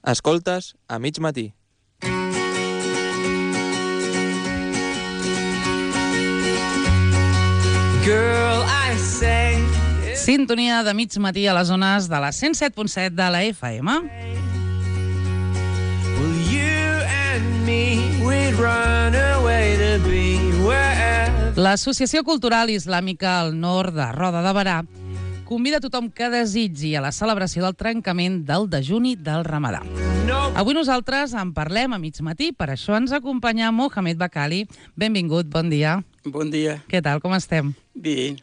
Escoltes a mig matí. Sintonia de mig matí a les zones de la 107.7 de la FM. L'Associació Cultural Islàmica al Nord de Roda de Berà convida tothom que desitgi a la celebració del trencament del dejuni del Ramadà. Avui nosaltres en parlem a mig matí, per això ens acompanya Mohamed Bakali. Benvingut, bon dia. Bon dia. Què tal, com estem? Bé.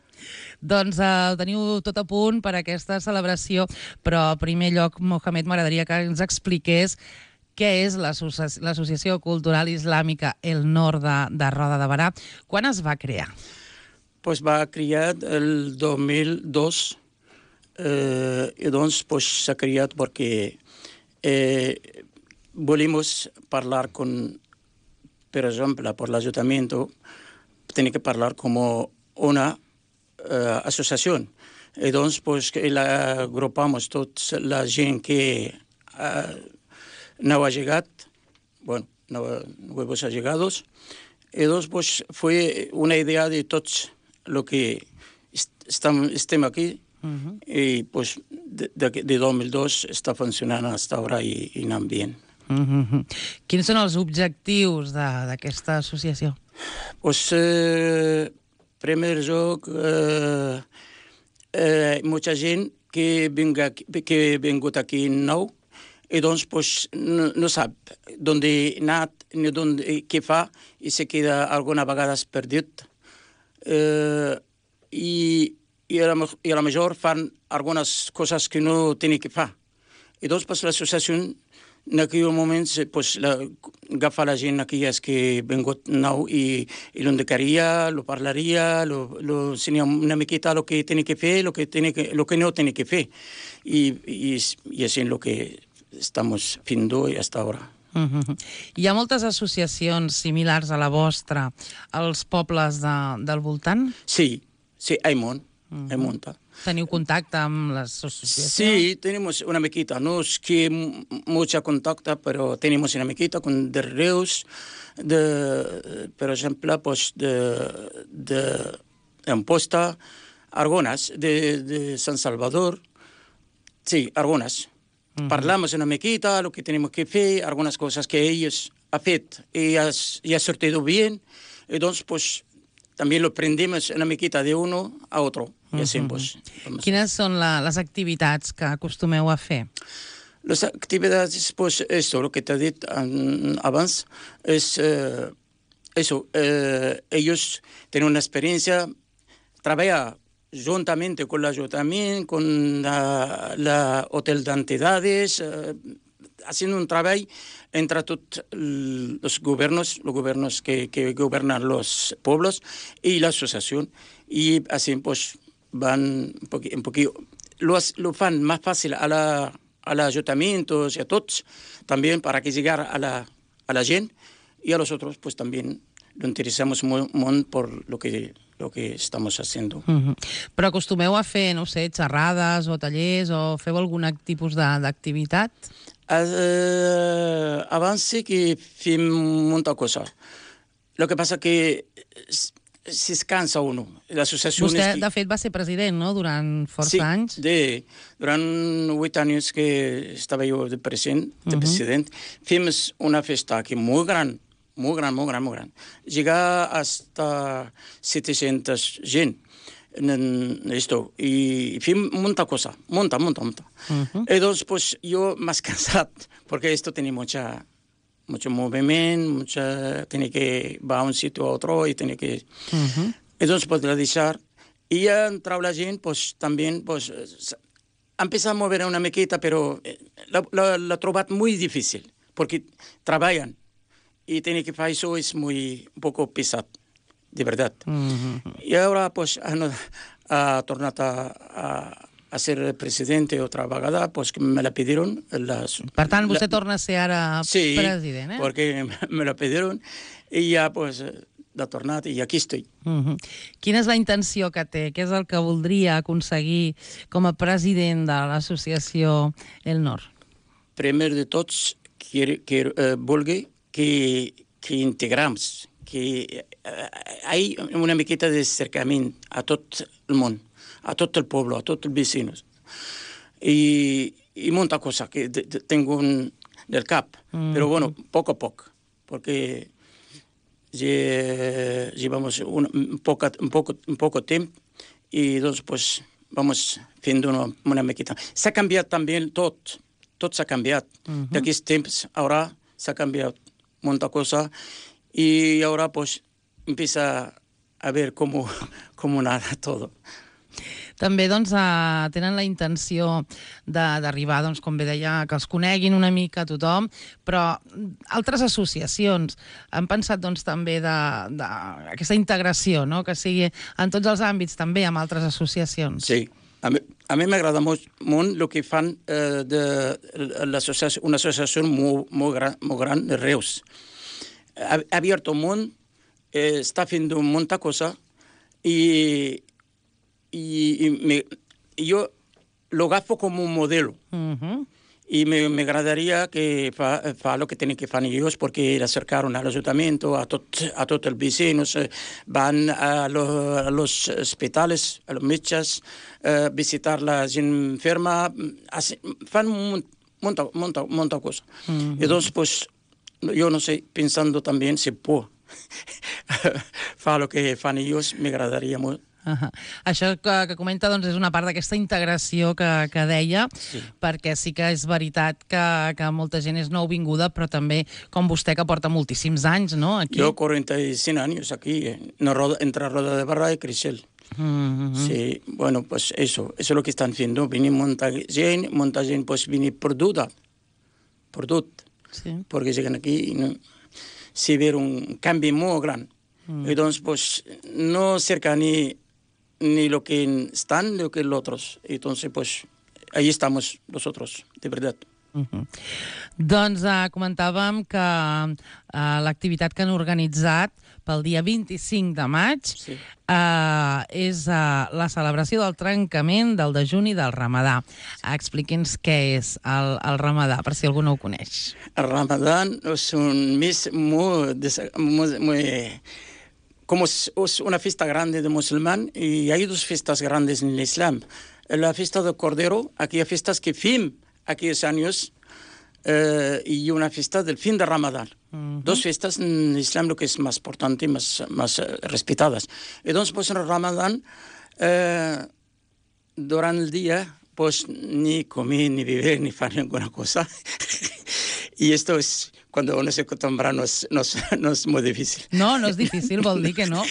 Doncs ho teniu tot a punt per aquesta celebració, però en primer lloc, Mohamed, m'agradaria que ens expliqués què és l'Associació Cultural Islàmica El Nord de Roda de Berà. Quan es va crear? Pues va crear el 2002 i doncs s'ha creat perquè volemos parlar con, per exemple, por l'Ayuntamiento, tiene que parlar como una asociación. I doncs pues, agrupamos tota la gent que no ha llegat, bueno, nuevos allegados, i doncs pues, fue una idea de tots lo que estem aquí, i pues, de 2002 està funcionant hasta ahora i anant bé. Quins són els objectius d'aquesta associació? Pues, primer lloc, molta gent que ha vingut aquí nou i doncs pues, no sap d'on ha anat ni què fa i se queda alguna vegada perdut. I a la major fan algunes coses que no tenen que fer. I doncs pues, l'associació en aquell moment pues, agafa la gent aquelles que ha vingut nou i l'indicaria, lo parlaria, lo ensenya una miqueta el que tenen que fer, el que no tenen que fer. I així és el que estem fent hasta ara. Hi ha moltes associacions similars a la vostra als pobles del voltant? Sí, hay molta. Teniu contacte amb les associacions? Sí, tenemos una miquita. No es que mucho contacto, pero tenemos una miquita con de Reus, por ejemplo, pues de Amposta, algunas, de San Salvador. Sí, algunas. Parlamos una miquita, lo que tenemos que hacer, algunas cosas que ellos han hecho y ha sortido bien. Entonces, pues, también lo aprendemos una miquita de uno a otro. I així, pues, quines són les activitats que acostumeu a fer? Les activitats, pues, esto, lo que te he dit abans, es eso, ellos tienen una experiencia, trabajar juntamente con el ayuntamiento, con la hotel de entidades, haciendo un trabajo entre todos los gobiernos que gobernan los pueblos y la asociación. Y así, pues, van un poquito, lo fan más fácil a los ayuntamientos y a todos, también para que llegar a la gente, y a los otros, pues, también lo interesamos molt por lo que estamos haciendo. Però acostumeu a fer, no sé, xerrades o tallers, o feu algun tipus d'activitat? Abans sí que fem molta cosa. Lo que pasa que si es cansa uno. Vostè, de fet, va ser president, no?, durant força anys. Sí, durant 8 anys que estava jo de president, fem una festa aquí molt gran, molt gran. Llegar hasta 700 gent en esto. Y fem molta cosa, molta. Entonces, pues, yo más cansado, porque esto tiene mucho movimiento, tiene que ir a un sitio a otro y tiene que... Entonces, pues, la dejar. Y ya entrado la gente, pues, también, pues, empieza a mover una miqueta, pero la trobat muy difícil, porque trabajan y tiene que hacer eso, es un poco pesado, de verdad. Y ahora, pues, ha tornado a ser presidente otra vegada, pues que me la pidieron. Per tant, vostè torna a ser ara president, Sí, porque me la pidieron y ya, pues, l'ha tornat i aquí estic. Quina és la intenció que té? Què és el que voldria aconseguir com a president de l'associació El Nord? primer de tots, vulgui que integramos, que hi ha una miqueta de cercament a tot el món, a tot el poble, a tots els vecinos. Y molta cosa que tengo del cap, pero bueno, poco a poco, porque llevamos un poco tiempo y entonces pues vamos haciendo una miqueta. S'ha canviat també tot s'ha canviat. D'aquests temps, ara s'ha canviat molta cosa y ahora pues empieza a ver cómo nada todo. També doncs, tenen la intenció d'arribar, doncs, com bé deia, que els coneguin una mica tothom, però altres associacions han pensat doncs, també d'aquesta integració, no? Que sigui en tots els àmbits, també amb altres associacions. Sí, a mi m'agrada molt el que fan una associació molt gran de Reus. Ha abierto un món, està fent molta cosa y yo lo agafo como un modelo. Y me agradaría que fa lo que tienen que hacer ellos, porque le acercaron al ayuntamiento, a todos los vecinos, van a los hospitales, a los metges, visitar la gente enferma, fan monta cosa. Entonces, pues, yo no sé, pensando también si puedo fa lo que fan ellos, me agradaria molt. Això que comenta doncs, és una part d'aquesta integració que deia, sí. Perquè sí que és veritat que molta gent és nouvinguda, però també, com vostè, que porta moltíssims anys, no? Aquí. Yo 45 años aquí, entre Roda de Barra y Creixell. Sí, bueno, pues eso es lo que están haciendo. Viene molta gent pues viene perdut, sí. Porque llegan aquí y no, se ve un cambio muy grande. Entonces, pues, no cerca ni lo que están, ni lo que los otros. Entonces, pues, ahí estamos nosotros, de verdad. Doncs comentàvem que l'activitat que han organitzat pel dia 25 de maig sí. És la celebració del trencament del dejuni del Ramadà. Expliqui'ns què és el Ramadà, per si algú no ho coneix. El Ramadà és un mes como es una fiesta grande de musulmán y hay dos fiestas grandes en el Islam. La fiesta del Cordero, aquellas fiestas que fin aquellos años, y una fiesta del fin de Ramadán. Dos fiestas en el Islam lo que es más importante y más respetadas. Entonces, pues en el Ramadán, durante el día, pues ni comer, ni beber, ni hacer ninguna cosa. Y esto es... Cuando uno se acostumbra no és molt difícil. No és difícil, vol dir que no.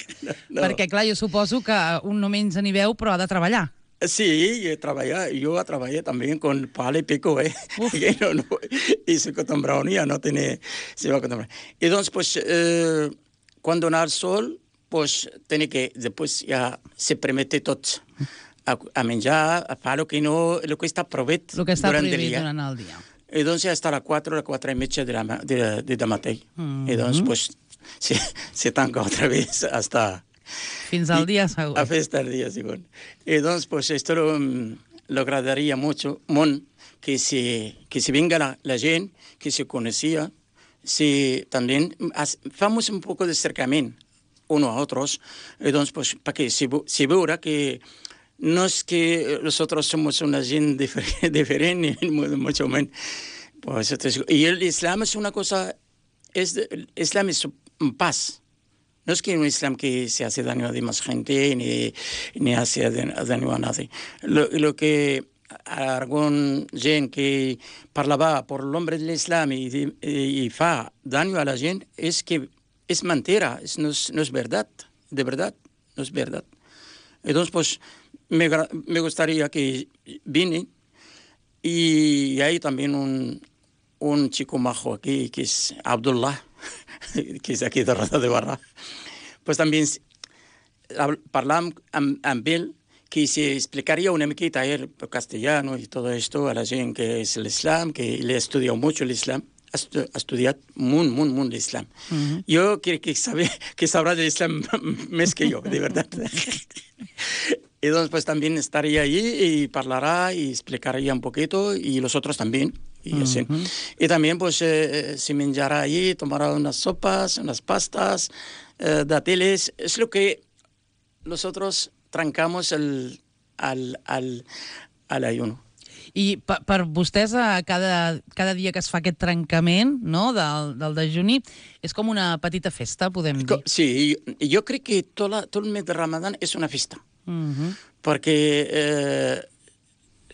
Perquè, clar, jo suposo que un no menja ni veu, però ha de treballar. Sí, yo trabajé también con pala y pico, y se acostumbró ya no se va a acostumbrar. Entonces, pues, cuando nace el sol, pues, tiene que, después ya se permite todo a menjar, a fer lo que està prohibit durant el dia. Entonces hasta las 4 y media de matí. Entonces, pues, se tanca otra vez hasta... Fins al día següent. Hasta el día següent. Entonces, pues, esto lo agradaría mucho, que se venga la gente, que se conocía, también hacemos un poco de acercamiento unos a otros. Entonces, pues, para que se vea que no es que nosotros somos una gente diferente, mucho menos. Pues, y el Islam es una cosa, el Islam es paz. No es que un Islam que se hace daño a demás gente, ni hace daño a nadie. Lo que algún gente que parlava por el nombre del Islam y fa daño a la gente es que es mentira, no es verdad, de verdad, no es verdad. Entonces, pues, me gustaría que vine y hay también un chico majo aquí que es Abdullah, que es aquí de Roda de Barra. Pues también hablamos amb él que se explicaría una miqueta a él por castellano y todo esto a la gente que es el Islam, que le ha estudiado mucho el Islam. Ha estudiat molt l'Islam. Jo crec que sabrà de l'Islam més que jo, de verdad. Y entonces pues también estaría allí y parlará y explicaría un poquito y los otros también. y así. Y también pues se menjará allí, tomará unas sopas, unas pastas, dátiles. Es lo que nosotros trancamos al ayuno. I per vostès, cada dia que es fa aquest trencament, no?, del dejuni, és com una petita festa, podem dir. Sí, yo creo que todo el mes de Ramadán es una fiesta. Porque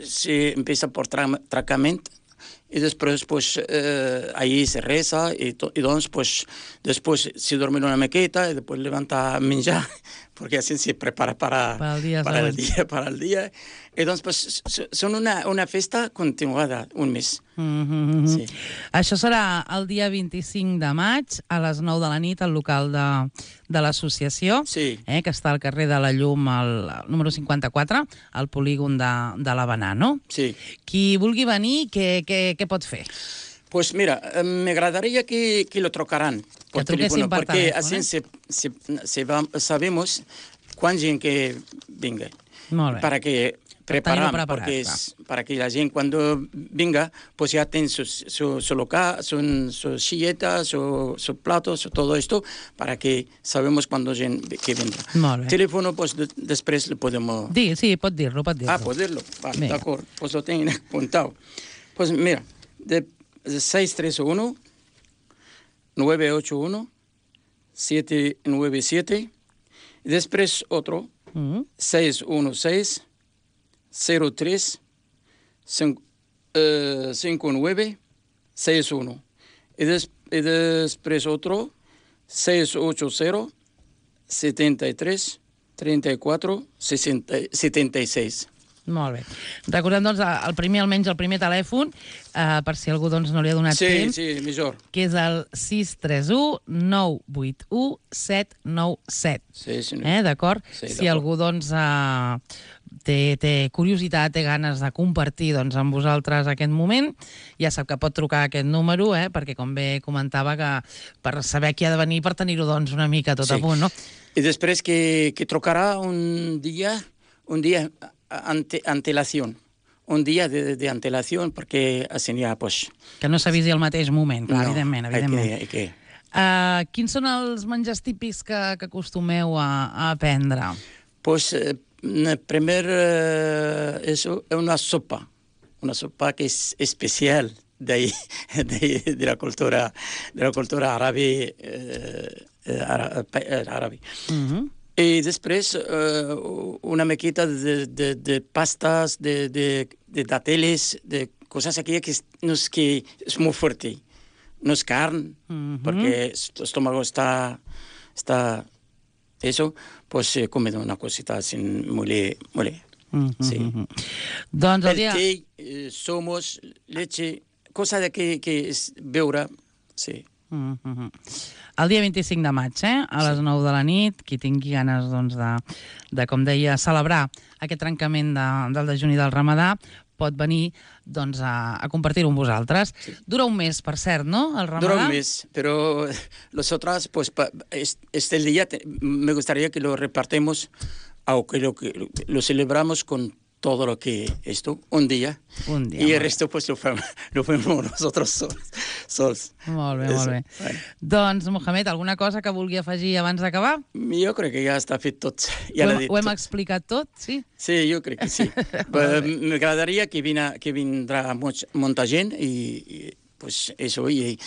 se empieza por trancament y después pues ahí se reza y entonces pues después se duerme una mequeta y después levanta a menjar porque así se prepara para el día. Entonces pues son una festa continuada, un mes. Sí. Això serà el dia 25 de maig a les 9 de la nit al local de l'associació, sí. Que està al carrer de la Llum, al número 54, al polígon de l'Havanà, no? Sí. Qui vulgui venir, què pot fer? Pues mira, me agradaría que lo trocaran por teléfono, porque así sabemos cuán gente que venga. Para que preparar, porque para que la gente cuando venga, pues ya tenga su local, su silleta, su platos, todo esto, para que sabemos cuándo que vendrá. Teléfono, pues después le podemos... Sí, pot dir-lo. Ah, poderlo. Vale, d'acord. Pues lo tengo apuntado. Pues mira, de 631 981 797 y después otro 616 03 59 61 y después otro 680 73 34 76. Molt bé. Recordem, doncs, almenys el primer telèfon, per si algú doncs, no li ha donat temps. Sí, millor. Que és el 631 981 797. Sí, sí. D'acord? Sí, si algú, doncs, té curiositat, té ganes de compartir doncs, amb vosaltres aquest moment, ja sap que pot trucar a aquest número, perquè, com bé comentava, que per saber qui ha de venir, per tenir-ho doncs, una mica tot a punt, no? I després que trucarà un dia antelación. Un dia de antelación, perquè així ja, pues... Que no s'avisi al mateix moment, clar, evidentment. Quins són els menjars típics que acostumeu a prendre? Pues, primero, eso es una sopa que es especial de la cultura árabe. Y después una mequita de pastas, de dátiles, de cosas aquí que es muy fuerte. No es carne, porque el estómago está eso, pues se come una cosita así muy sí. Doncs el té, somos, leche, cosa de que es beure, sí. El dia 25 de maig, a les 9 de la nit, qui tingui ganes doncs, de, com deia, celebrar aquest trencament del dejuni del Ramadà, pot venir doncs, a compartir-ho amb vosaltres. Sí. Dura un mes, per cert, no, el Ramadà? Dura un mes, pero nosotras, pues, este día me gustaría que lo repartemos, aunque lo celebramos con todo lo que esto, un día y el resto pues lo fem nosotros sols. Molt bé, molt bé. Bueno. Doncs, Mohamed, alguna cosa que vulgui afegir abans d'acabar? Jo crec que ja està fet tot. Ja ho hem explicat tot, sí? Sí, jo crec que sí. M'agradaria que vindrà molta gent i pues eso, y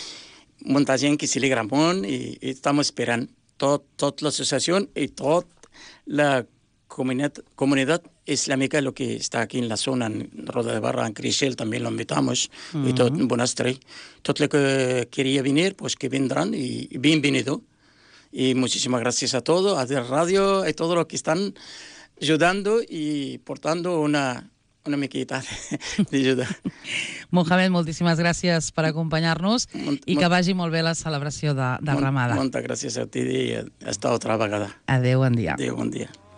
molta gent que se alegra molt i estamos esperant tot l'associació i tot la comunidad islámica, lo que está aquí en la zona, en Roda de Barra, en Crixell, también lo invitamos, y todo en Bonastre. Todo lo que quería venir, pues que vendrán, y bienvenido. Y muchísimas gracias a todos, a la radio, y todo lo que están ayudando y portando una miqueta d'ajuda. Mohamed, moltíssimes gràcies per acompanyar-nos i que vagi molt bé la celebració del Ramadà. Moltes gràcies a ti i hasta otra vegada. Adéu, bon dia. Adéu, bon dia.